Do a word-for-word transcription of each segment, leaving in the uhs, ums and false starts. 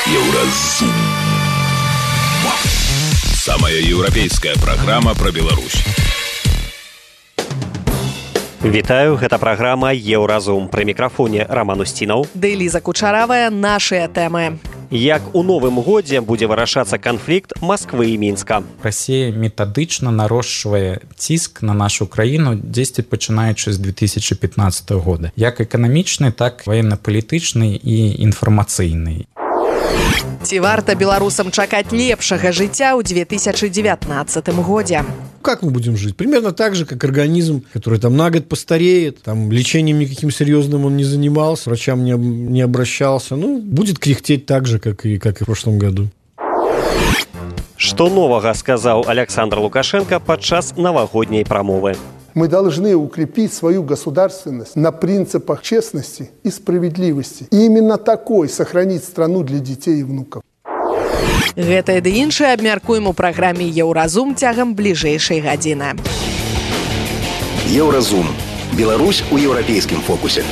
Еўразум. Самая еўрапейская праграма пра Беларусь. Вітаю, гэта праграма «Еўразум». Пры мікрафоне Роман Устінаў. Ды Ліза Кучаравая, нашыя тэмы. Як у новым годзе будзе вырашацца канфлікт Масквы і Мінска. Расія метадычна нарошчвае ціск на нашу краіну дзесьці пачынаючы з две тысячы пятнаццатага года. Як эканамічны, так ваенна-палітычны і інфармацыйны. Ці варта беларусам чакаць лепшага жыцця ў две тысячы девятнадцатым годзе? Как мы будем жить? Примерно так же, как организм, который там на год постареет, там лечением никаким серьезным он не занимался, врачам не, не обращался. Ну, будет кряхтеть так же, как и, как и в прошлом году. Што новага сказаў Александр Лукашенко падчас навагодняй прамовы? Мы должны укрепить свою государственность на принципах честности и справедливости. И именно такой сохранить страну для детей и внуков. Гэтае ды іншае абмяркуем у праграме «Еўразум» цягам бліжэйшай гадзіны. Еўразум. Беларусь у еўрапейскім фокусе.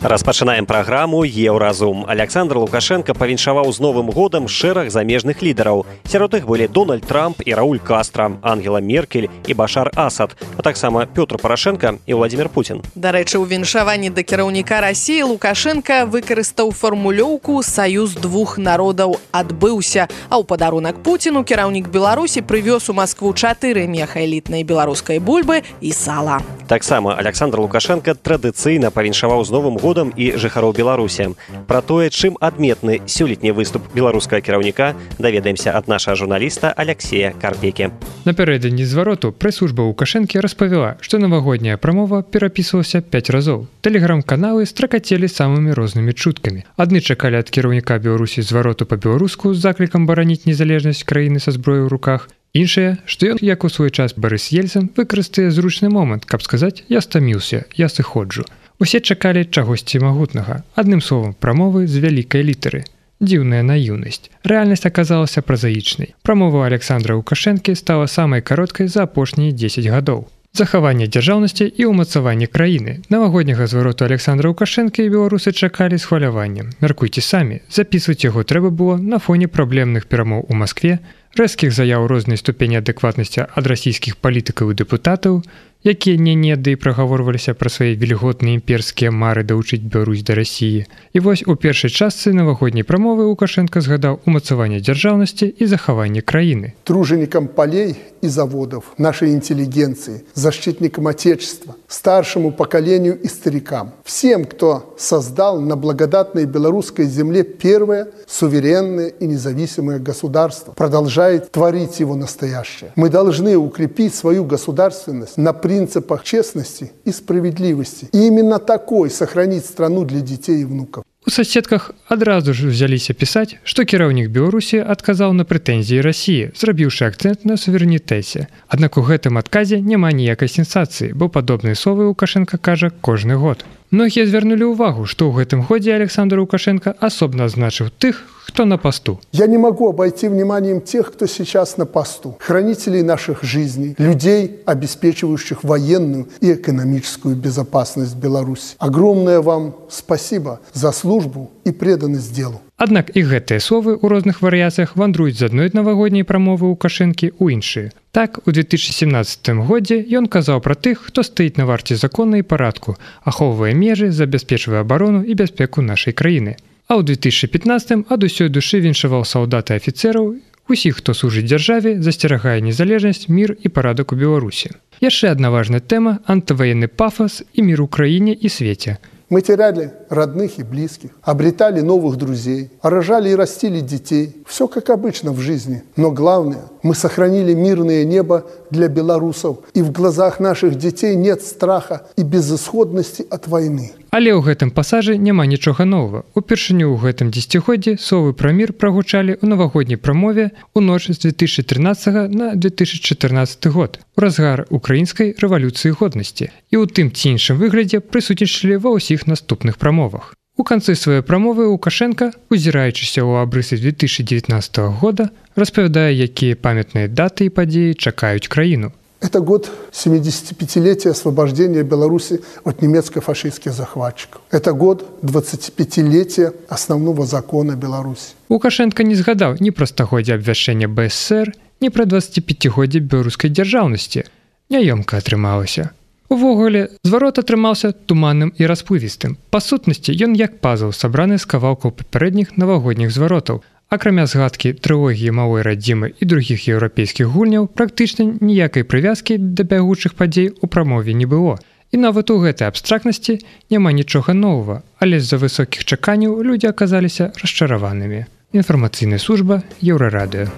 Распачынаем праграму «Еўразум». Александр Лукашенко павіншаваў з Новым годам шэраг замежных лідараў. Сярод іх былі Дональд Трамп і Рауль Кастра, Ангела Меркель і Башар Асад, а таксама Пётр Парашенко і Владзімір Путін. Дарэчы, у віншаванні да кіраўніка Расіі Лукашенко выкарыстаў фармулёўку «Саюз двух народаў адбыўся», а ў падарунак Пуціну кіраўнік Беларусі прывёз у Маскву чатыры меха элітнай беларускай бульбы і сала. Таксама Александр Лукашенко традыцыйна павіншаваў з Новым годам і жыхароў Беларусі. Пра тое, чым адметны сёлетні выступ беларускага кіраўніка, даведаемся ад нашага журналіста Алексея Карпекі. Напярэдадні звароту прэс-служба Лукашэнкі распавяла, што навагодняя прамова перапісвалася пяць разоў. Тэлеграм-каналы стракацелі самымі рознымі чуткамі. Адны чакалі ад кіраўніка Беларусі звароту па-беларуску з заклікам бараніць незалежнасць краіны са зброяй у руках. Іншае, што ён, як у свой час Барыс Ельцын, выкарыстае зручны момант, каб сказаць «я стаміўся, я сыходжу». Усе чакалі чагосьці магутнага. Адным словам, прамовы з вялікай літары. Дзіўная наіўнасць. Рэальнасць аказалася празаічнай. Прамова Александра Лукашэнкі стала самай кароткай за апошнія дзесяць гадоў. Захаванне дзяржаўнасці і ўмацаванне краіны. Навагодняга звароту Александра Лукашэнкі і беларусы чакалі з хваляваннем. Мяркуйце самі, запісваць яго трэба было на фоне праблемных перамоў у Маскве, рэзкіх заяў рознай ступені адэкватнасці ад расійскіх палітыкаў і дэпутатаў, якія не-не ды прагаворваліся пра свае вільготныя імперскія мары даўчыць Беларусь да Расіі. І вось у першай частцы навагодняй прамовы Лукашенко згадаў умацаванне дзяржаўнасці і захаванне краіны. Труженикам полей и заводов, нашей интеллигенции, защитникам Отечества, старшему поколению и старикам, всем, кто создал на благодатной белорусской земле первое суверенное и независимое государство, продолжает творить его настоящее. Мы должны укрепить свою государственность на принципах честности и справедливости. И именно такой сохранить страну для детей и внуков. У соседках адразу ж взяліся пісаць, што кіраўнік Беларусі адказаў на прэтэнзіі Расіі, зрабіўшы акцэнт на суверэнітэце. Аднак у гэтым адказе няма ніякай сенсацыі, бо падобныя словы Лукашенко кажа кожны год. Многія звярнулі ўвагу, што ў гэтым годзе Александр Лукашенко асобна адзначыў тых, кто на посту. Я не могу обойти вниманием тех, кто сейчас на посту. Хранителей наших жизней, людей, обеспечивающих военную и экономическую безопасность Беларуси. Огромное вам спасибо за службу и преданность делу. Аднак і гэтыя словы ў розных варыяцыях вандруюць з адной навагодняй прамовы Лукашэнкі ў іншыя. Так, у две тысячи семнадцатым годзе ён казаў пра тых, хто стаіць на варце закона і парадку, ахоўвае межы, забяспечвае абарону і бяспеку нашай краіны. А ў две тысячи пятнаццатым ад усёй душы віншаваў салдат і афіцэраў, усіх, хто служыць дзяржаве, засцерагае незалежнасць, мір і парадак у Беларусі. Яшчэ адна важная тэма – антываенны пафос і мір у краіне і свеце. Мы теряли родных и близких, обретали новых друзей, рожали и растили детей. Все как обычно в жизни. Но главное, мы сохранили мирное небо для белорусов. И в глазах наших детей нет страха и безысходности от войны. Але ў гэтым пасажы няма нічога новага. Упершыню ў гэтым дзесяцігоддзі словы пра мір прагучалі ў навагодняй прамове ў ноч з две тысячи трынаццатага на две тысячи чатырнаццаты год, у разгар украінскай рэвалюцыі годнасці. І ў тым ці іншым выглядзе прысутнічалі ва ўсіх наступных прамовах. У канцы сваёй прамовы Лукашенко, узіраючыся ў абрысы две тысячи девятнадцатага года, распавядае, якія памятныя даты і падзеі чакаюць краіну. Это год семидесятипятилетия освобождения Беларуси от немецко-фашистских захватчиков. Это год двадцатипятилетия основного закона Беларуси. Лукашенко не згадаў ні пра стагоддзе абвяшчэння бэ эс эс эр, ні пра дваццаціпяцігоддзе беларускай дзяржаўнасці. Няёмка атрымалася. Увогуле, зварот атрымаўся туманным і расплывістым. Па сутнасці, ён як пазл, сабраны з кавалкаў папярэдніх навагодніх зваротаў. Акрамя згадкі трылогіі малой радзімы і другіх еўрапейскіх гульняў, практычна ніякай прывязкі да бягучых падзей у прамове не было. І нават у гэтай абстрактнасці няма нічога новага, але з-за высокіх чаканняў людзі аказаліся расчараванымі. Інфармацыйная служба Еўрарадыё.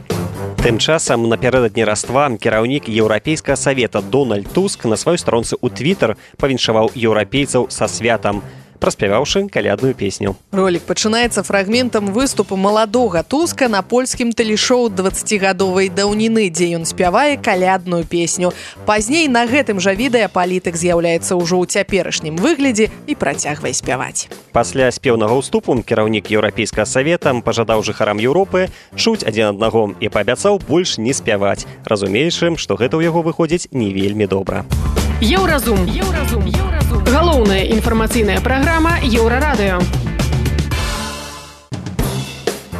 Тым часам напярэдадні Раства кіраўнік Еўрапейскага савета Дональд Туск на сваёй старонцы ў Твітер павіншаваў еўрапейцаў са святам, праспяваўшы калядную песню. Ролик пачынаецца фрагментам выступу маладога Туска на польскім тэлешоу дваццацігадовай даўніны, дзе ён спявае калядную песню. Пазней на гэтым жа відэа палітык з'яўляецца ўжо ў цяперашнім выглядзе і працягвае спяваць. Пасля спеўнага ўступу кіраўнік Еўрапейскага савета пажадаў жыхарам Еўропы чуць адзін аднаго і паабяцаў больш не спяваць, разумеючым, што гэта ў яго выходзіць не вельмі добра. Еўразум. Еўразум. Еўразум. Галоўная інфармацыйная праграма Еўрарадыё.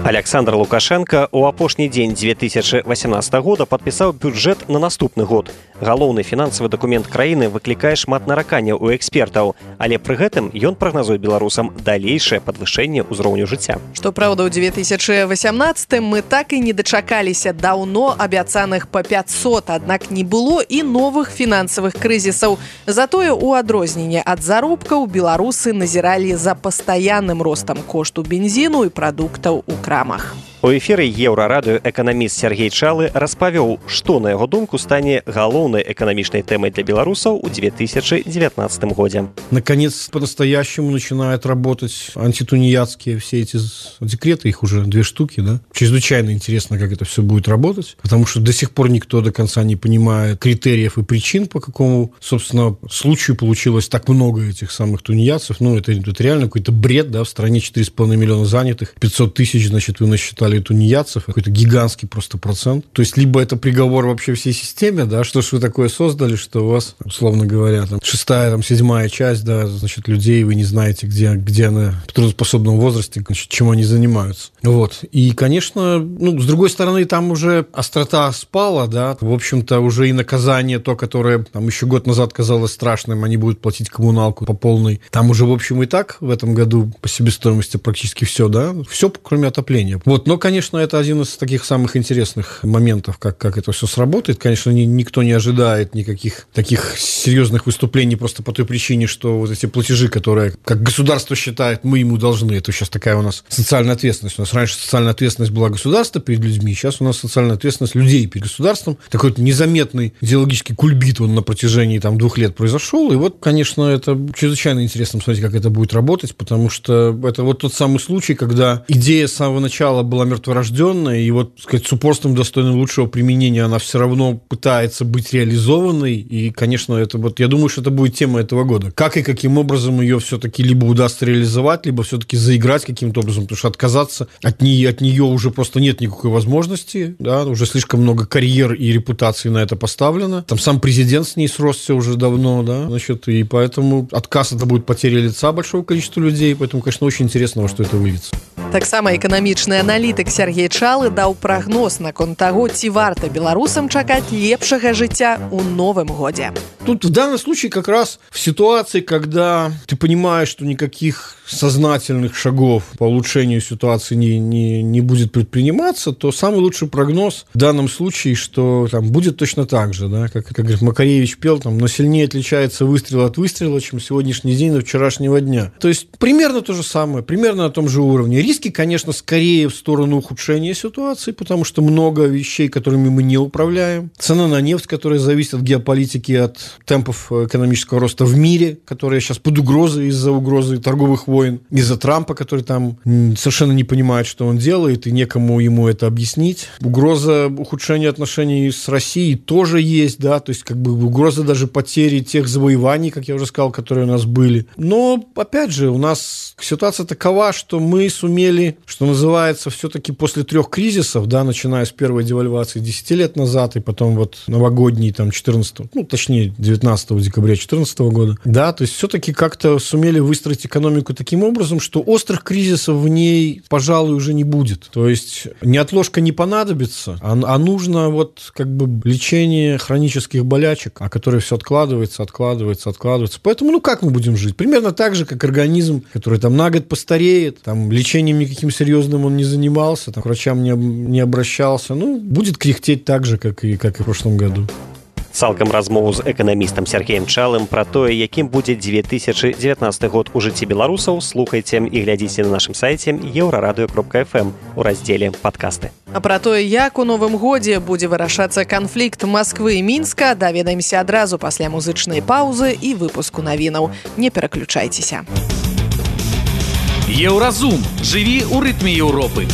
Александр Лукашенко у апошні дзень две тысячы васямнаццатага года падпісаў бюджэт на наступны год. Галоўны фінансавы дакумент краіны выклікае шмат нараканняў у экспертаў, але пры гэтым ён прагназуе беларусам далейшае падвышэнне ўзроўню жыцця. Што праўда, ў две тысячы васямнаццатым мы так і не дачакаліся даўно абяцаных па пяцьсот, аднак не было і новых фінансавых крызісаў. Затое у адрозненне ад заробкаў беларусы назіралі за пастаянным ростам кошту бензіну і прадуктаў у крамах. У эфіры Еўрарадыё эканаміст Сергей Чалы распавёў, што, на яго думку, стане галоўнай эканамічнай тэмай для беларусаў у две тысячи девятнадцатом годзе. Наконец, по-настоящему начинают работать антитунеядские все эти декреты, их уже две штуки, да? Чрезвычайно интересно, как это все будет работать, потому что до сих пор никто до конца не понимает критериев и причин, по какому, собственно, случаю получилось так много этих самых тунеядцев. Ну, это, это реально какой-то бред, да? В стране четыре с половиной миллиона занятых, пятьсот тысяч, значит, вы насчитали тунеядцев, какой-то гигантский просто процент. То есть, либо это приговор вообще всей системе, да, что ж вы такое создали, что у вас, условно говоря, там, шестая, там, седьмая часть, да, значит, людей, вы не знаете, где, где она в трудоспособном возрасте, значит, чем они занимаются. Вот. И, конечно, ну, с другой стороны, там уже острота спала, да, в общем-то, уже и наказание то, которое там еще год назад казалось страшным, они будут платить коммуналку по полной. Там уже, в общем, и так в этом году по себестоимости практически все, да, все, кроме отопления. Вот, но, конечно, это один из таких самых интересных моментов, как, как это все сработает. Конечно, ни, никто не ожидает никаких таких серьезных выступлений просто по той причине, что вот эти платежи, которые, как государство считает, мы ему должны. Это сейчас такая у нас социальная ответственность. У нас раньше социальная ответственность была государства перед людьми, сейчас у нас социальная ответственность людей перед государством. Такой вот незаметный идеологический кульбит он на протяжении там, двух лет произошел. И вот, конечно, это чрезвычайно интересно смотреть, как это будет работать, потому что это вот тот самый случай, когда идея с самого начала была мертворожденная, и вот, так сказать, с упорством, достойным лучшего применения, она все равно пытается быть реализованной, и, конечно, это вот, я думаю, что это будет тема этого года. Как и каким образом ее все-таки либо удастся реализовать, либо все-таки заиграть каким-то образом, потому что отказаться от нее, от нее уже просто нет никакой возможности, да, уже слишком много карьер и репутации на это поставлено. Там сам президент с ней сросся уже давно, да, значит, и поэтому отказ это будет потеря лица большого количества людей, поэтому, конечно, очень интересно, во что это выльется. Таксама эканамічны аналітык Сергей Чалы даў прагноз наконт таго, ці варта беларусам чакаць лепшага жыцця ў новым годзе. Тут в данном случае как раз в ситуации, когда ты понимаешь, что никаких сознательных шагов по улучшению ситуации не, не, не будет предприниматься, то самый лучший прогноз в данном случае, что там будет точно так же, да, как, как говорит, Макаревич пел, там, но сильнее отличается выстрел от выстрела, чем сегодняшний день от вчерашнего дня. То есть примерно то же самое, примерно на том же уровне. Риски, конечно, скорее в сторону ухудшения ситуации, потому что много вещей, которыми мы не управляем. Цена на нефть, которая зависит от геополитики, от темпов экономического роста в мире, которая сейчас под угрозой из-за угрозы торговых войн, из-за Трампа, который там совершенно не понимает, что он делает, и некому ему это объяснить. Угроза ухудшения отношений с Россией тоже есть, да, то есть как бы угроза даже потери тех завоеваний, как я уже сказал, которые у нас были. Но, опять же, у нас ситуация такова, что мы сумели сумели, что называется, все-таки после трех кризисов, да, начиная с первой девальвации десять лет назад, и потом вот новогодний, там, четырнадцатого, ну, точнее, девятнадцатого декабря две тысячи четырнадцатого года, да, то есть все-таки как-то сумели выстроить экономику таким образом, что острых кризисов в ней, пожалуй, уже не будет. То есть неотложка не понадобится, а, а нужно вот как бы лечение хронических болячек, а которые все откладывается, откладывается, откладывается. Поэтому, ну, как мы будем жить? Примерно так же, как организм, который там на год постареет, там лечением никаким серьезным он не занимался, там, к врачам не, не обращался, ну, будет кряхтеть так же, как и, как и в прошлом году. Цалкам размову з эканамістам Сергеем Чалым пра тое, якім будзе две тысячи девятнадцатый год у жыцці беларусаў, слухайце і глядзіце на нашым сайце еўрарадыё кропка эф эм у раздзеле «Падкасты». А пра тое, як у новым годзе будзе вырашацца канфлікт Масквы і Мінска, даведаемся адразу пасля музычнай паўзы і выпуску навінаў. Не пераключайцеся. Еўразум. Жыві ў рытме Еўропы.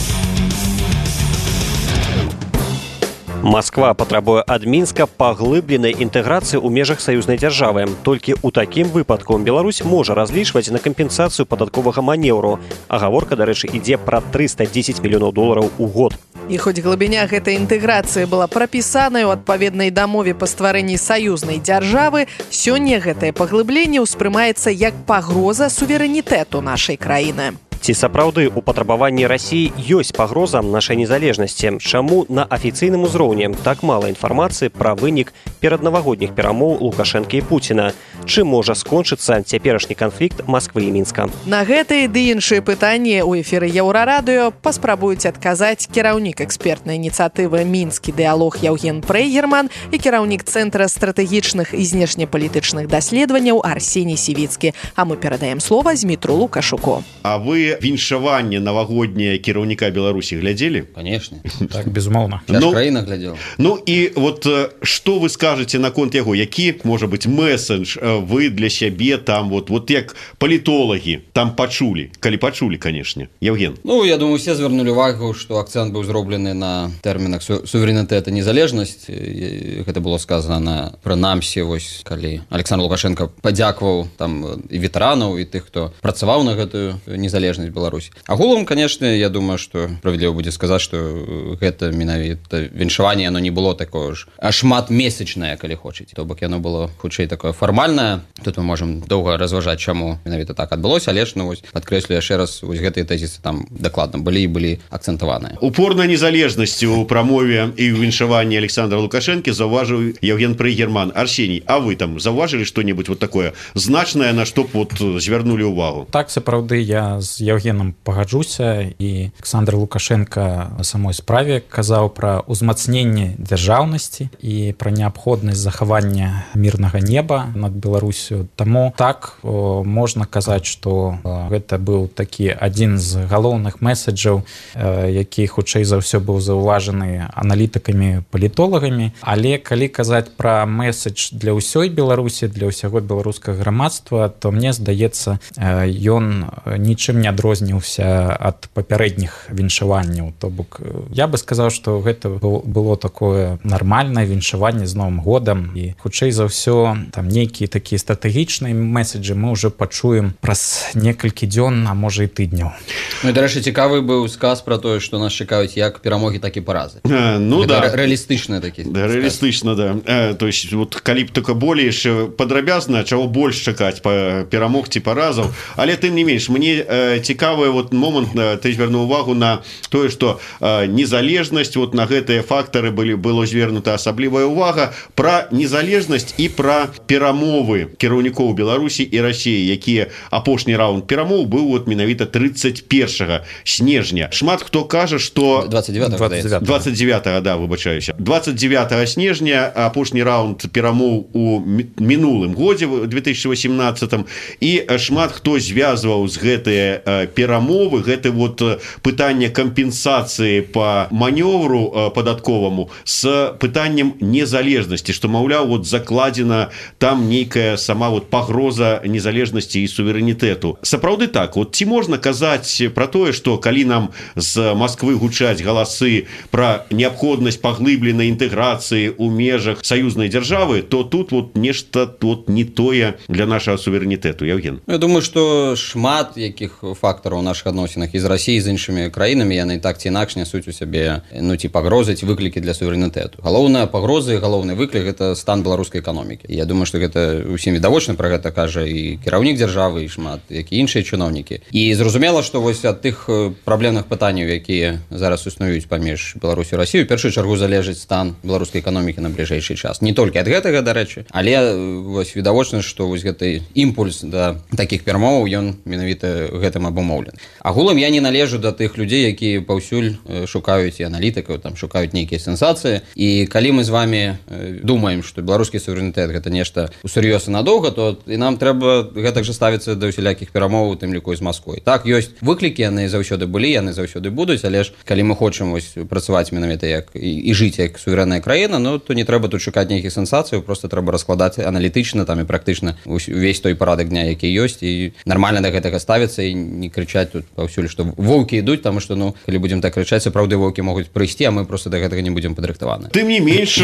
Масква патрабуе ад Мінска паглыбленай інтэграцыі ў межах саюзнай дзяржавы. Толькі ў такім выпадку Беларусь можа разлічваць на кампенсацыю падатковага манеўру. А гаворка, дарэчы, ідзе пра трыста дзесяць мільёнаў долараў у год. І хоць глыбіня гэтай інтэграцыі была прапісаная ў адпаведнай дамове па стварэнні саюзнай дзяржавы, сёння гэтае паглыбленне ўспрымаецца як пагроза суверэнітэту нашай краіны. Ці сапраўды у патрабаванні Расіі ёсць пагроза нашай незалежнасці? Чаму на афіцыйным узроўні так мала інфармацыі пра вынік пераднавагодніх перамоў Лукашэнкі і Пуціна? Чым можа скончыцца цяперашні канфлікт Масквы і Мінска? На гэтыя ды іншыя пытанні ў эфіры Еўрарадыё паспрабуюць адказаць кіраўнік экспертнай ініцыятывы «Мінскі дыялог» Яўген Прейгерман і кіраўнік Цэнтра стратэгічных і знешнепалітычных даследаванняў Арсеній Сівіцкі. А мы перадаем слова Змітру Лукашуку. А вы віншаванне навагодняе кіраўніка Беларусі глядзелі? Конечно. Так, безумоўна. Я ну, краіна глядзеў. Ну і вот што вы скажаце наконт яго? Які, можа быць, месседж вы для сябе там, вот, вот як палітолагі там пачулі? Калі пачулі, канешне. Яўген. Ну, я думаю, все звярнулі увагу, што акцэнт быў зроблены на тэрмінах су суверэнітэт і незалежнасць. Гэта было сказана прынамсі, вось, калі Александр Лукашенко падзякваў там і ветэранаў, і тых, хто працаваў на гэтую незалежнасць Беларусі. Агулам, конечно, я думаю, что справедліва будзе сказаць, што гэта менавіта віншаванне, оно не было такое ж шматмесячнае, калі хочаце. То бок яно было хутчэй такое фармальнае. Тут мы можам доўга разважаць, чаму менавіта так адбылося, але ж, ну, вось, падкрэслю яшчэ раз, вось гэтыя тэзісы там дакладна былі і былі акцэнтаваныя. Упор на незалежнасці ў прамове і ў віншаванні Александра Лукашэнкі заўважыў Яўген Прейгерман. Арсеній, а вы там заўважылі што-небудзь вот такое значнае, на што б вот звярнулі ўвагу? Так, сапраўды, я з Яўгенам пагаджуся, і Александр Лукашенко на самой справе казаў пра ўзмацненне дзяржаўнасці і пра неабходнасць захавання мірнага неба над Беларусю. Таму так о, можна казаць, што о, гэта быў такі адзін з галоўных месседжаў, э, які хутчэй за ўсё быў заўважаны аналітыкамі, палітолагамі. Але калі казаць пра месседж для ўсёй Беларусі, для ўсяго беларускага грамадства, то мне здаецца, э, ён нічым не адрозніўся ад папярэдніх віншаванняў. То бок я бы сказаў, што гэта было такое нармальнае віншаванне з Новым годам, і хутчэй за ўсё там нейкія такія стратэгічныя месседжы мы ўжо пачуем праз некалькі дзён, а можа і тыдняў. Ну і, дарэчы, цікавы быў сказ пра тое, што нас чакаюць як перамогі, так і паразы. А, ну гэта да. Рэалістычна такі. Да, рэалістычна, да. А, то есть вот калі б только болей падрабязна, чаго больш чакаць па перамог ці паразаў, але тым не менш мне э, цікавы вот момант, э, ты звярнуў увагу на тое, што э, незалежнасць, вот на гэтыя фактары былі было звернута асаблівая увага пра незалежнасць і пра перамовы кіраўнікоў Беларусі і Расіі, якія апошні раунд перамоў быў вот менавіта тридцать первого снежня. Шмат хто кажа, што двадцать девятого двадцать девятого, да, выбачаюся. двадцать девятого снежня апошні раунд перамоў у мінулым годзе две тысячи восемнадцатым, і шмат хто звязваў з гэтыя э, перамовы, гэты вот пытанне кампенсацыі па манёвру э, падатковаму з пытаннем незалежнасці, што, маўляў, вот закладзена там нейкая сама вот пагроза незалежнасці і суверэнітэту. Сапраўды так, вот ці можна казаць про тое, что калі нам з Москвы гучаць галасы про неабходнасць паглыбленай інтэграцыі ў межах саюзнай дзяржавы, то тут вот нешта тут не тое для нашага суверэнітэту. Евген? Я думаю, что шмат якіх фактараў у наших адносінах і з Расіяй, з іншымі краінамі, яны так ці інакш нясуць у сябе, ну, ці пагрозы, ці выклікі для суверэнітэту. Галоўная пагроза і галоўны выклік – гэта стан беларускай эканомікі. Я думаю, што гэта усім відавочна, пра гэта кажа і кіраўнік дзяржавы, і шмат, як і іншыя чыноўнікі. І зразумела, што вось ад тых праблемных пытанняў, якія зараз існуюць паміж Беларусю і Расіяй, у першую чаргу залежыць стан беларускай эканомікі на бліжэйшы час. Не толькі ад гэтага, дарэчы, але вось відавочна, што вось гэты імпульс да такіх перамоваў, ён менавіта гэтым абумоўлены. Агулам я не належу да тых людзей, якія паўсюль шукаюць і аналітыкаў, там шукаюць нейкія сенсацыі. І калі мы з вами думаем, што беларускі суверэнітэт гэта нешта усур'ёз і надоўга, то і нам трэба гэтак жа ставіцца да усялякіх перамоваў, у тым ліку і з Масквой. Так, ёсць выклікі, яны заўсёды былі, яны заўсёды будуць, але ж калі мы хочам вось працаваць менавіта як і, і жыць як суверэнная краіна, ну то не трэба тут шукаць нейкіх сенсацыяў, просто трэба раскладаць аналітычна там і практычна увесь той парадак дня, які ёсць, і нармальна да гэтага ставіцца і не крычаць тут паўсюль, што воўкі ідуць, таму што, ну, калі будзем так крычаць, сапраўды воўкі могуць прыйсці, а мы просто да гэтага не будзем падрыхтаваны. Тым не менш,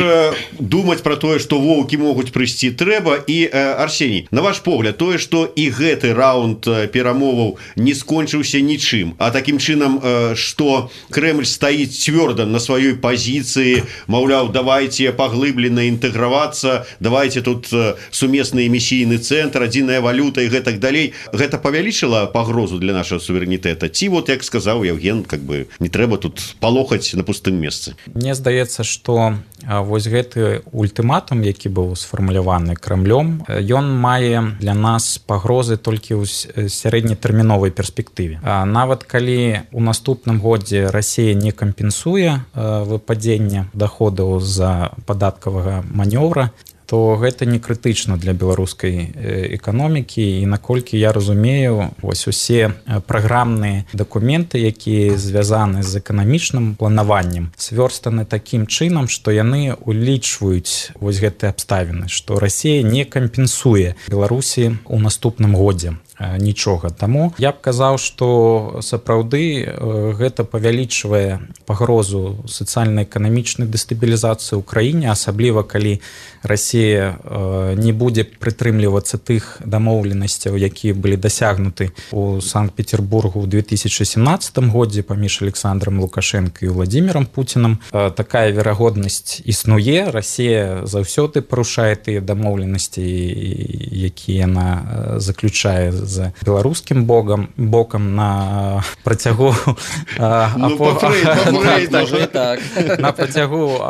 думаць пра тое, што воўкі могуць прыйсці трэба. І Арсеній, на ваш погляд, тое, што і гэты раунд перамоваў не скончыўся нічым, а такім чынам, што Крэмль стаіць цвёрда на сваёй пазіцыі, маўляў, давайте паглыблена інтэгравацца, давайте тут сумесны эмісійны цэнтр, адзіная валюта і гэтак далей. Гэта павялічыла пагрозу для нашага суверэнітэта? Ці вот, як сказаў Евген, как бы не трэба тут палохаць на пустым месцы? Мне здаецца, што вось гэты ультыматум, які быў сфармуляваны Крамлём, ён мае для нас пагрозы толькі ў сярэднетэрміновай перспектыве. Нават калі у наступным годзе Расія не кампенсуе выпадзенне даходаў з-за падаткавага манёвра, то гэта не крытычна для беларускай эканомікі. І наколькі я разумею, вось усе праграмныя дакументы, якія звязаны з эканамічным планаваннем, свёрстаны такім чынам, што яны улічваюць вось гэтыя абставіны, што Расія не кампенсуе Беларусі ў наступным годзе нічога. Таму я б казаў, што сапраўды гэта павялічвае пагрозу сацыяльна-эканамічнай дэстабілізацыі ў краіне, асабліва калі Расія не будзе прытрымлівацца тых дамоўленасцяў, якія былі дасягнуты ў Санкт-Петербургу ў две тысячы семнадцатым годзе паміж Александром Лукашенко і Владимиром Путиным. Такая верагоднасць існуе. Расія заўсёды парушае тыя дамоўленасці, якія яна заключае з беларускім бокам бокам на працягу на працягу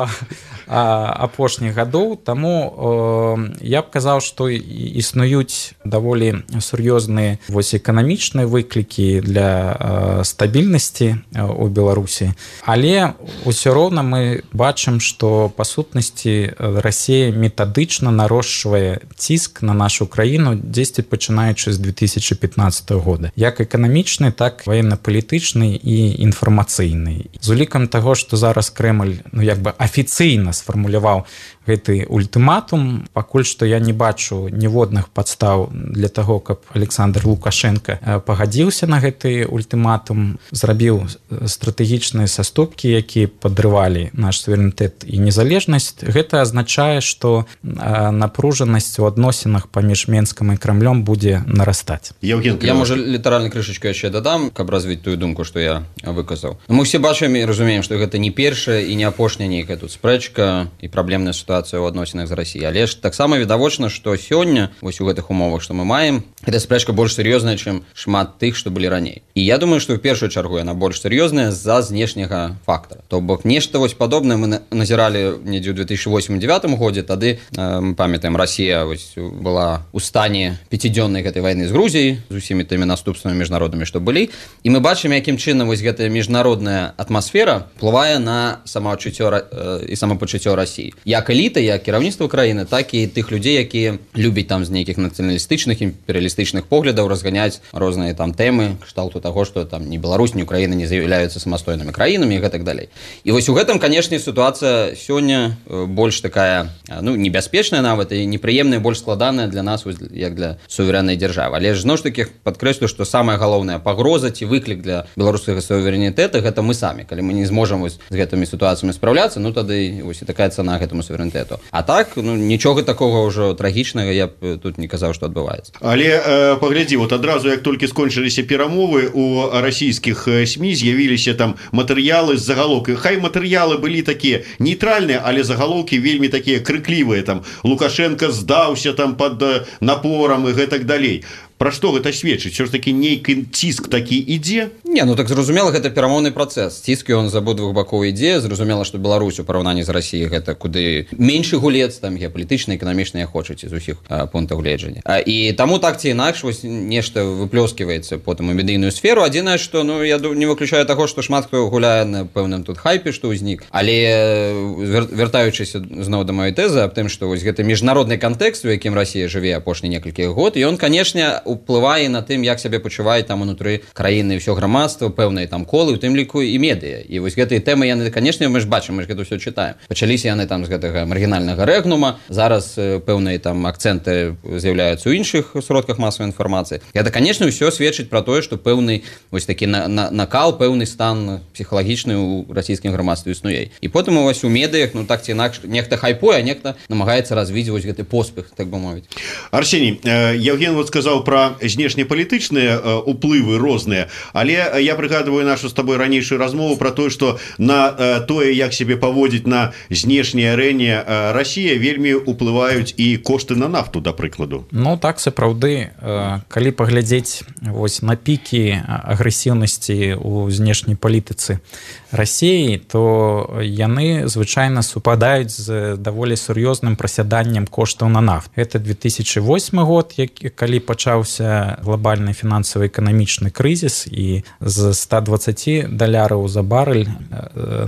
апошніх гадоў. Таму я б казаў, што існуюць даволі сур'ёзныя вось эканамічныя выклікі для стабільнасці ў Беларусі, але ўсё роўна мы бачым, што па сутнасці Расія метадычна нарошчвае ціск на нашу краіну дзесьці пачынаючы з две тысячи пятнадцатого года, як эканамічны, так ваенна-палітычны і інфармацыйны. З улікам таго, што зараз Крэмль, ну як бы афіцыйна сфармуляваў гэты ультыматум, пакуль што я не бачу ніводных падстаў для таго, каб Александр Лукашенко пагадзіўся на гэты ультыматум, зрабіў стратэгічныя саступкі, якія падрывалі наш суверэнітэт і незалежнасць. Гэта азначае, што напружанасць у адносінах паміж Менскам і Крамлём будзе нарастаць. Евген, я, можа, літаральна крышачку яшчэ дадам, каб развіць тую думку, што я выказаў. Мы ўсе бачым і разумеем, што гэта не першая і не апошняя нейкая тут спрэчка і праблемная сітуацыя ў адносінах з Расіяй. Але ж таксама відавочна, што сёння вось у гэтых умовах, што мы маем, гэта спрэчка больш сур'ёзная, чым шмат тых, што былі раней. І я думаю, што ў першую чаргу яна больш сур'ёзная з-за знешняга фактара. То бок нешта вось падобнае мы назіралі недзе ў две тысячи восьмым девятым годзе. Тады, мы памятаем, Расія вось была ў стане пяцідзённай гэтай вайны з Грузіяй, з усімі тымі наступствамі міжнароднымі, што былі. І мы бачым, якім чынам вось гэтая міжнародная атмасфера ўплывае на самаадчуццё і самапачуццё пачуццё Расіі. Як эліта, як кіраўніцтва краіны, так і тых людзей, якія любяць там з нейкіх нацыяналістычных, імперыялістычных поглядаў разганяць розныя там тэмы, кшталту таго, што там ні Беларусь, ні Украіна не з'яўляюцца самастойнымі краінамі і гэтак далей. І вось у гэтым, канешне, сітуацыя сёння больш такая, ну, небяспечная нават і непрыемная, больш складаная для нас, як для суверэннай дзяржавы. Але ж зноў ж такі падкрэслю, што самая галоўная пагроза ці выклік для беларускага суверэнітэта гэта мы самі. Калі мы не зможам вось з гэтымі сітуацыямі спраўляцца, ну тады вось і такая цана гэтаму суверэнітэту. А так, ну, нічога такога ўжо трагічнага я б тут не казаў, што адбываецца. Але э, паглядзі, вот адразу як толькі скончыліся перамовы, у расійскіх СМІ з'явіліся там матэрыялы з загалоўкай. Хай матэрыялы былі такія нейтральныя, але загалоўкі вельмі такія крыклівыя, там Лукашенко здаўся там пад напорам і гэтак далей. Пра што гэта сведчыць? Усё ж такі нейкі ціск такі ідзе? Не, ну так зразумела, гэта перамоўны працэс. Ціск ён з абодвух бакоў ідзе. Зразумела, што Беларусь у параўнанні з Расіяй гэта куды меншы гулец, там геапалітычны, эканамічны, як хочаце, з усіх пунктаў гледжання. І таму так ці інакш вось нешта выплёсківаецца потым у медыйную сферу. Адзінае, што ну я не выключаю таго, што шмат хто гуляе на пэўным тут хайпе, што ўзнік. Але вяртаючыся зноў да маёй тэзы аб тым, што вось гэты міжнародны кантэкст, у якім Расія жыве апошні некалькі год, ён, канешне, уплывае на тым, як сябе пачуваюць там унутры краіны ўсё грамадства, пэўныя там колы, у тым ліку і медыя. І вось гэтыя тэмы яны, канешне, мы ж бачым, мы ж гэта ўсё чытаем. Пачаліся яны там з гэтага маргінальнага рэгнума, зараз пэўныя там акцэнты з'яўляюцца ў іншых сродках масавай інфармацыі. Гэта, канешне, ўсё сведчыць пра тое, што пэўны вось такі на, на, накал, пэўны стан псіхалагічны ў расійскім грамадстве існуе. І потым вось у медыях, ну так ці інакш, нехта хайпуе, а нехта намагаецца развіць вось гэты поспех, так бы мовіць. Арсеній, Евген вот сказаў пра знешнепалітычныя уплывы розныя, але я прыгадываю нашу з табой ранейшую размову пра тое, што на тое, як сябе паводзіць на знешняй арэне Расія, вельмі уплываюць і кошты на нафту, да прыкладу. Ну так, сапраўды, калі паглядзець вось на пікі агрэсіўнасці ў знешняй палітыцы Расіі, то яны звычайна супадаюць з даволі сур'ёзным прасяданнем коштаў на нафту. Гэта две тысячи восьмы год, калі пачаўся глобальны фінансава-эканамічны крызіс, і з ста дваццаці даляраў за барэль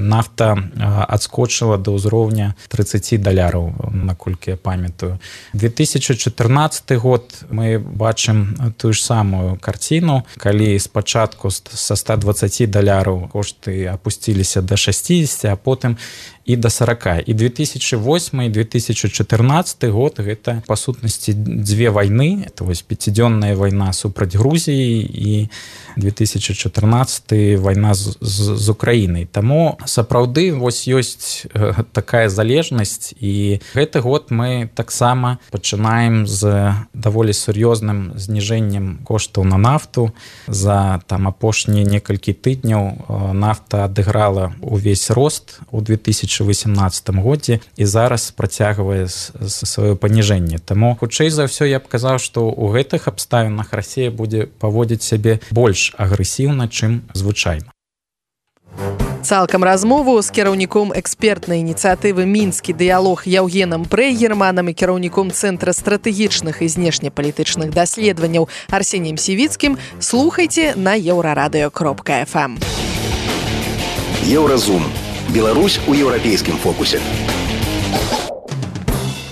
нафта адскочыла да ўзроўня трыццаць даляраў, наколькі я памятаю. две тысячи чатырнаццаты год мы бачым тую ж самую карціну, калі спачатку са ста дваццаці даляраў кошты апусціліся да шасцідзесяці, а потым і да сорока. І две тысячи восьмы і две тысячи чатырнаццаты год гэта па сутнасці дзве вайны. Это вось пяцідзённая вайна супраць Грузіі і две тысячи чатырнаццаты вайна з, з, з Украінай. Таму сапраўды вось ёсць такая залежнасць, і гэты год мы таксама пачынаем з даволі сур'ёзным зніжэннем коштаў на нафту. За там апошнія некалькі тыдняў нафта адыграла увесь рост у две тысячи восемнадцатым годзе і зараз працягвае сваё паніжэнне. Таму хутчэй за ўсё я б казаў, што ў гэтых абставінах Расія будзе паводзіць сябе больш агрэсіўна, чым звычайна. Цалкам размову з кіраўніком экспертнай ініцыятывы «Мінскі дыялог» Яўгенам Прэгерманам і кіраўніком Цэнтра стратэгічных і знешнепалітычных даследаванняў Арсеніем Сівіцкім слухайце на еўрарадыё кропка эф эм. Еўразум. Беларусь у еўрапейскім фокусе.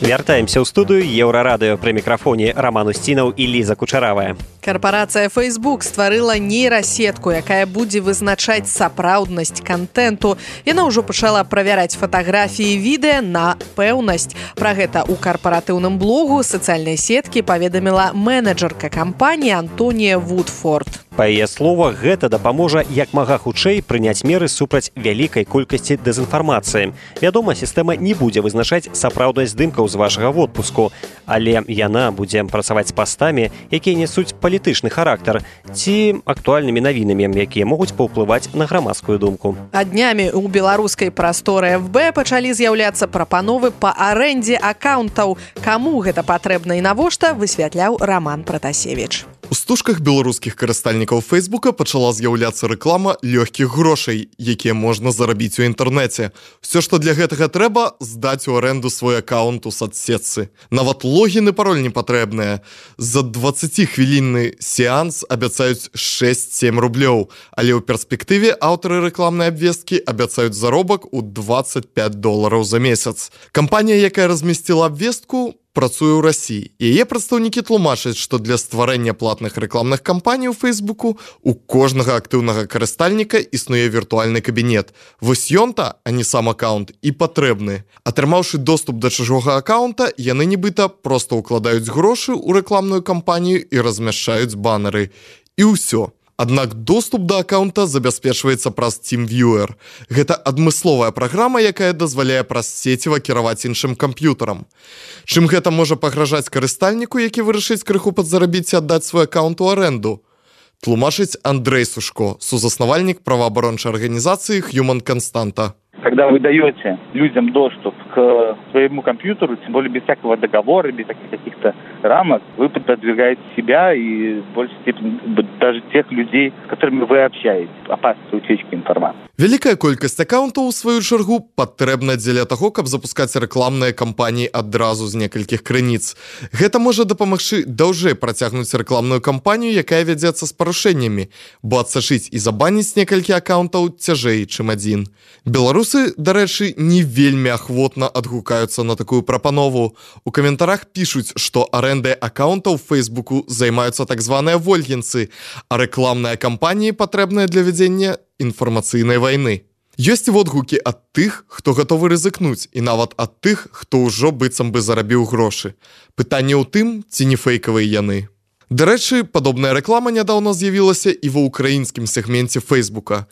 Вяртаемся ў студыю Еўрарадыё, пры мікрафоне Роман Устінаў і Ліза Кучаравая. Карпарацыя Facebook стварыла нейрасетку, якая будзе вызначаць сапраўднасць кантэнту. Яна ўжо пачала правяраць фатаграфіі і відэа на пэўнасць. Пра гэта ў карпаратыўным блогу сацыяльнай сеткі паведаміла менеджерка кампаніі Антонія Вудфорд. Па яе словах, гэта дапаможа як мага хутчэй прыняць меры супраць вялікай колькасці дэзінфармацыі. Вядома, сістэма не будзе вызначаць сапраўднасць здымкаў з вашага водпуску, але яна будзе працаваць з пастамі, якія несуць палітычны характар, ці актуальнымі навінамі, якія могуць паўплываць на грамадскую думку. А днямі ў беларускай прасторы эф бэ пачалі з'яўляцца прапановы па арэндзе акаунтаў. Каму гэта патрэбна і навошта, высвятляў Роман Пратасевіч. У стужках беларускіх карыстальнікаў Фейсбука пачала з'яўляцца рэклама лёгкіх грошай, якія можна зарабіць у інтэрнэце. Усё, што для гэтага трэба, здаць у аренду свой аккаунт у соцсетцы. Нават логін і пароль не патрэбныя. За дваццаціхвілінны сеанс абяцаюць шэсць-сем рублёў, але ў перспектыве аўтары рэкламнай абвесткі абяцаюць заробак у дваццаць пяць долараў за месяц. Кампанія, якая размясціла абвестку, працуе ў Расіі. Яе прадстаўнікі тлумачаць, што для стварэння платных рэкламных кампаній у Фейсбуку у кожнага актыўнага карыстальніка існуе віртуальны кабінет. Вось ён-то, а не сам аккаунт, і патрэбны. Атрымаўшы доступ да чужога аккаунта, яны нібыта проста ўкладаюць грошы ў рэкламную кампанію і размяшчаюць баннеры. І ўсё. Аднак доступ да аккаунта забяспечваецца праз TeamViewer. Гэта адмысловая праграма, якая дазваляе праз сеціва кіраваць іншым камп'ютарам. Чым гэта можа пагражаць карыстальніку, які вырашыць крыху падзарабіць і аддаць свой аккаунт у аренду? Тлумачыць Андрей Сушко, сузаснавальнік праваабарончай арганізацыі Human Constanta. Когда вы даете людям доступ к своему компьютеру, тем более без всякого договора, без всяких каких-то рамок, вы подвергаете себя и в большей степени даже тех людей, с которыми вы общаетесь, опасности утечки информации. Вялікая колькасць аккаунтаў, у сваю чаргу, патрэбна дзеля таго, каб запускаць рэкламныя кампаніі адразу з некалькіх крыніц. Гэта можа дапамагчы даўжэй працягнуць рэкламную кампанію, якая вядзецца з парушэннямі, бо адсачыць і забаніць некалькі аккаунтаў цяжэй, чым адзін. Беларусы, дарэчы, не вельмі ахвотна адгукаюцца на такую прапанову. У каментарах пішуць, што арэндай аккаунтаў в Фейсбуку займаюцца так званыя вольгінцы, а рэкламныя кампаніі патрэбныя для вядзення інфармацыйнай вайны. Ёсць і водгукі ад тых, хто гатовы рызыкнуць, і нават ад тых, хто ўжо быццам бы зарабіў грошы. Пытанне ў тым, ці не фэйкавыя яны. Дарэчы, падобная рэклама нядаўна з'явілася і ва ўкраінскім сегменце Фейсбука.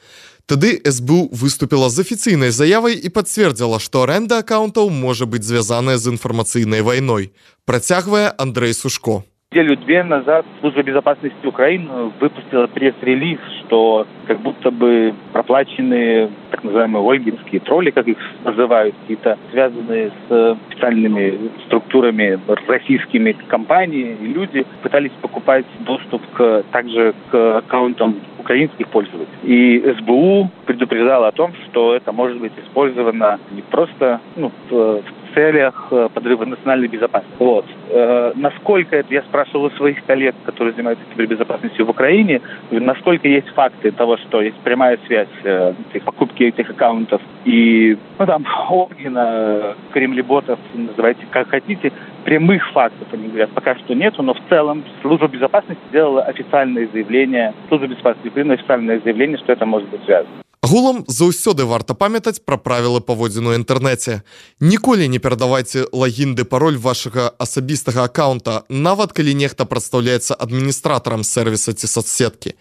Тады эс бэ у выступіла з афіцыйнай заявай і пацвердзіла, што аренда аккаунтаў можа быць звязаная з інфармацыйнай вайной. Працягвае Андрей Сушко. Неделю-две назад Служба безопасности Украины выпустила пресс-релиз, что как будто бы проплаченные так называемые ольгинские тролли, как их называют, какие-то связанные с специальными структурами российскими компаний, и люди пытались покупать доступ к, также к аккаунтам украинских пользователей. И эс бэ у предупреждала о том, что это может быть использовано не просто ну, в целях подрыва национальной безопасности. Вот. Э, насколько это, я спрашивал у своих коллег, которые занимаются кибербезопасностью в Украине, насколько есть факты того, что есть прямая связь э, покупки этих аккаунтов и, ну там, Огнена, кремлеботов, называйте как хотите, прямых фактов, они говорят, пока что нету, но в целом Служба безопасности сделала официальное заявление, Служба безопасности Украины официальное заявление, что это может быть связано. Агулам заўсёды варта памятаць пра правілы паводзіну ў інтэрнэце. Ніколі не перадавайце лагін ды пароль вашага асабістага аккаунта, нават калі нехта прадстаўляецца адміністратарам сервіса ці соцсеткі.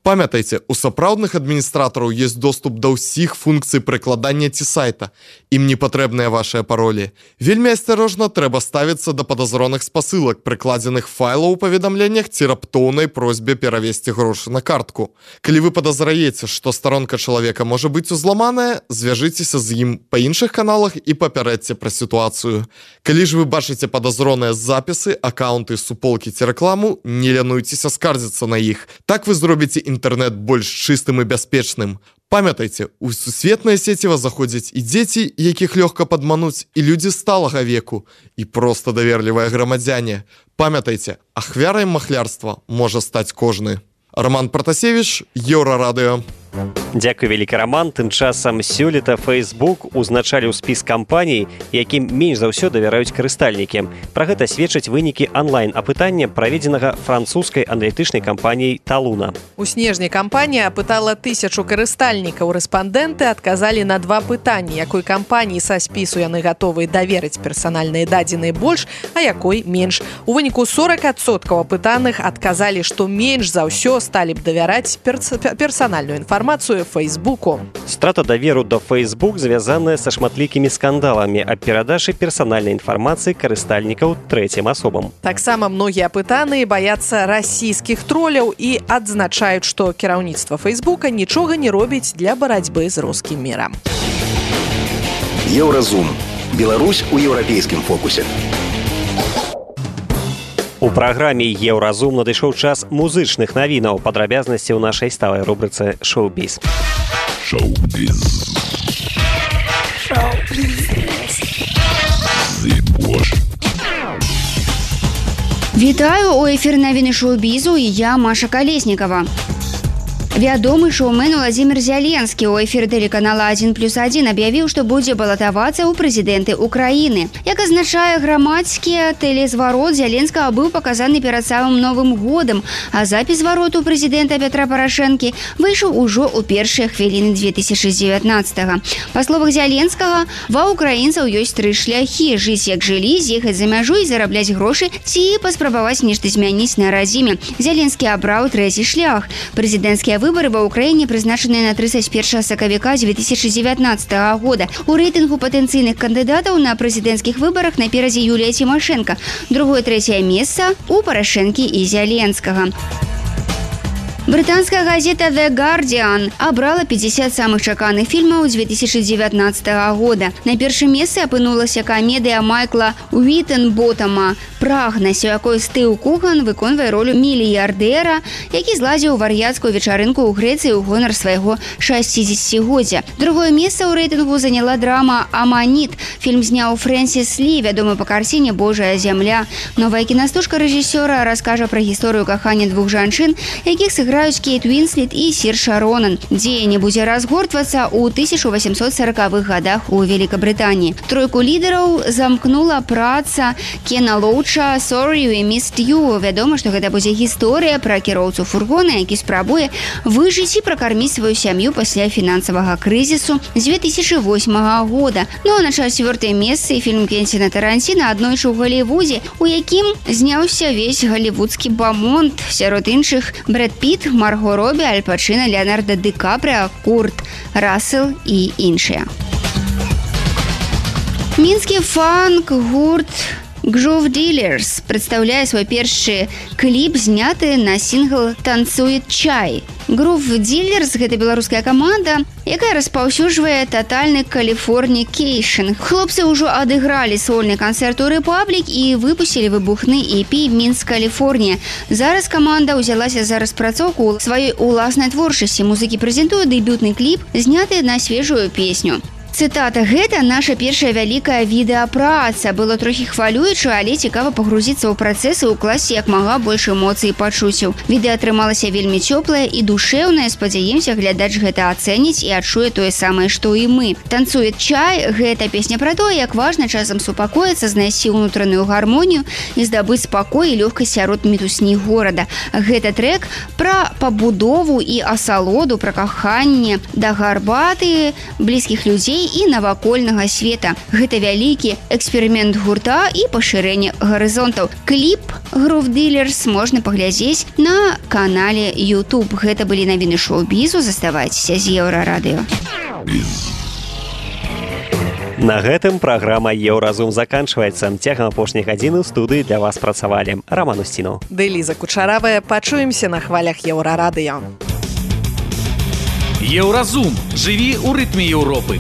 Памятайце, у сапраўдных адміністратараў ёсць доступ да ўсіх функцый прыкладання ці сайта. Ім не патрэбныя вашыя паролі. Вельмі асцярожна трэба ставіцца да падазроных спасылак, прыкладзеных файлаў у паведамленнях ці раптоўнай просьбе перавесці грошы на картку. Калі вы падазраеце, што старонка чалавека Чалавека можа быць узламаная, звяжыцеся з ім па іншых каналах і папярэдзьце пра сітуацыю. Калі ж вы бачыце падазроныя запісы, аккаунты, суполкі ці рэкламу, не лянуйцеся скардзіцца на іх. Так вы зробіце інтэрнэт больш чыстым і бяспечным. Памятайце, у сусветнае сеціва заходзяць і дзеці, якіх лёгка падмануць, і людзі сталага веку, і проста даверлівыя грамадзяне. Памятайце, ахвярай махлярства можа стаць кожны. Роман Протасевич, Еўрарадыё. Дзякуй вялікі, Роман. Тым часам сёлета Facebook узначаліў спіс кампаній, якім менш за ўсё давяраюць карыстальнікі. Пра гэта сведчаць вынікі онлайн-апытання, праведзенага французскай аналітычнай кампаніяй Талуна. У снежні кампанія апытала тысячу карыстальнікаў. Рэспандэнты адказалі на два пытанні, якой кампаніі са спісу яны гатовы даверыць персанальныя дадзеныя больш, а якой менш. У выніку сорок адсоткаў апытаных адказалі, што менш за ўсё сталі б давяраць перс персанальную інфармацыю інфармацыю Фейсбуку. Страта даверу да Facebook звязаная са шматлікімі скандаламі аб перадачы персанальнай інфармацыі карыстальнікаў трэцім асобам. Таксама многія апытаныя баяцца расійскіх троляў і адзначаюць, што кіраўніцтва Фейсбука нічога не робіць для барацьбы з рускім мірам. Еўразум. Беларусь у еўрапейскім фокусе. У праграме «Еўразум» надышоў час музычных навінаў. Падрабязнасці ў нашай сталай рубрыцы «Шоу-біз». Шоу-біз. Вітаю, у эфір навіны шоу-бізу і я, Маша Калеснікава. Вядомы шоумен Владзімір Зяленскі ў эфіры тэлеканала адзін плюс адзін аб'явіў, што будзе балатавацца ў прэзідэнты Украіны. Як азначае грамадскі тэлезварот Зяленскага быў паказаны перад самым Новым годам, а запіс звароту прэзідэнта Пятра Парашэнкі выйшаў ужо ў першыя хвіліны две тысячы дзевятнаццатага. Па словах Зяленскага, ва ўкраінцаў ёсць тры шляхі: жыць як жылі, з'ехаць за мяжу і зарабляць грошы, ці паспрабаваць нешта змяніць на радзіме. Зяленскі абраў трэці шлях. Прэзідэнцкія выборы ва ўкраіне прызначаныя на трыццаць першага сакавіка две тысячи дзевятнаццатага года. У рэйтынгу патэнцыйных кандыдатаў на прэзідэнцкіх выбарах наперадзе Юлія Цімашэнка. Другое-трэцяе месца у Парашэнкі і Зяленскага. Брытанская газета The Guardian абрала пятьдесят самых чаканых фільмаў две тысячи дзевятнаццатага года. На першым месцы апынулася камедыя Майкла Уітенботама «Прагнасць», у якой Стыў Куган выконвае ролю мільярдэра, які зладзіў вар'яцкую вечарынку ў Грэцыі ў гонар свайго шасцідзесяцігоддзя. Другое месца ў рэйтынгу заняла драма «Аманіт». Фільм зняў Фрэнсіс Лі, вядомы па карціне «Божая зямля». Новая кінастужка рэжысёра раскажа пра гісторыю кахання двух жанчын, якіх сыграюць Кейт Уінслет і Сірша Ронан. Дзеянне будзе разгортвацца ў тысяча васемсот сорокавых гадах у Великабрытаніі. Тройку лідараў замкнула праца Кена Лоуча «Sorry we missed you». Вядома, што гэта будзе гісторыя пра кіроўцу фургона, які спрабуе выжыць і пракарміць сваю сям'ю пасля фінансавага крызісу з две тысячи восьмага года. Ну а на чацвёртае месцы фільм Квенціна Таранціна «Аднойчы ў Галівудзе», у якім зняўся весь галівудскі бамонт. Сярод іншых Брэд Піт, Марго Робі, Аль Пачына, Леонардо Ді Капріа, Курт Рассел і іншыя. Мінскі фанк-гурт Groove Dealers прадстаўляе свой першы кліп, зняты на сінгл «Танцует чай». Groove Dealers – гэта беларуская каманда, якая распаўсюджвае татальны каліфорнікейшн. Хлопцы ўжо адыгралі сольны канцэрт у Рэпаблік і выпусцілі выбухны і пі «Мінск, Каліфорнія». Зараз каманда ўзялася за распрацоўку сваёй уласнай творчасці. Музыкі прэзентуюць дэбютны кліп, зняты на свежую песню. Цытата: «Гэта наша першая вялікая відэапраца. Было трохі хвалююча, але цікава пагрузіцца ў працэс і ўкласці як мага больш эмоцый і пачуццяў. Відэа атрымалася вельмі цёплае і душэўнае. Спадзяемся, глядач гэта ацэніць і адчуе тое самае, што і мы. Танцует чай» – гэта песня пра тое, як важна часам супакоіцца, знайсці ўнутраную гармонію і здабыць спакой і лёгкасць сярод мітусні горада. Гэта трэк пра пабудову і асалоду, пра каханне да гарбаты, блізкіх людзей і навакольнага света. Гэта вялікі эксперымент гурта і пашырэнне гарызонтаў. Кліп Groove Dealers можна паглядзець на канале YouTube. Гэта былі навіны шоу-бізу. Заставайцеся з Еўрарадыё. На гэтым праграма «Еўразум» заканчваецца. Цягам апошняй гадзіны ў студыі для вас працавалі Роман Устінаў, Дэліза Кучаравая. Пачуемся на хвалях Еўрарадыё. Еўразум. Жыві ў рытме Еўропы.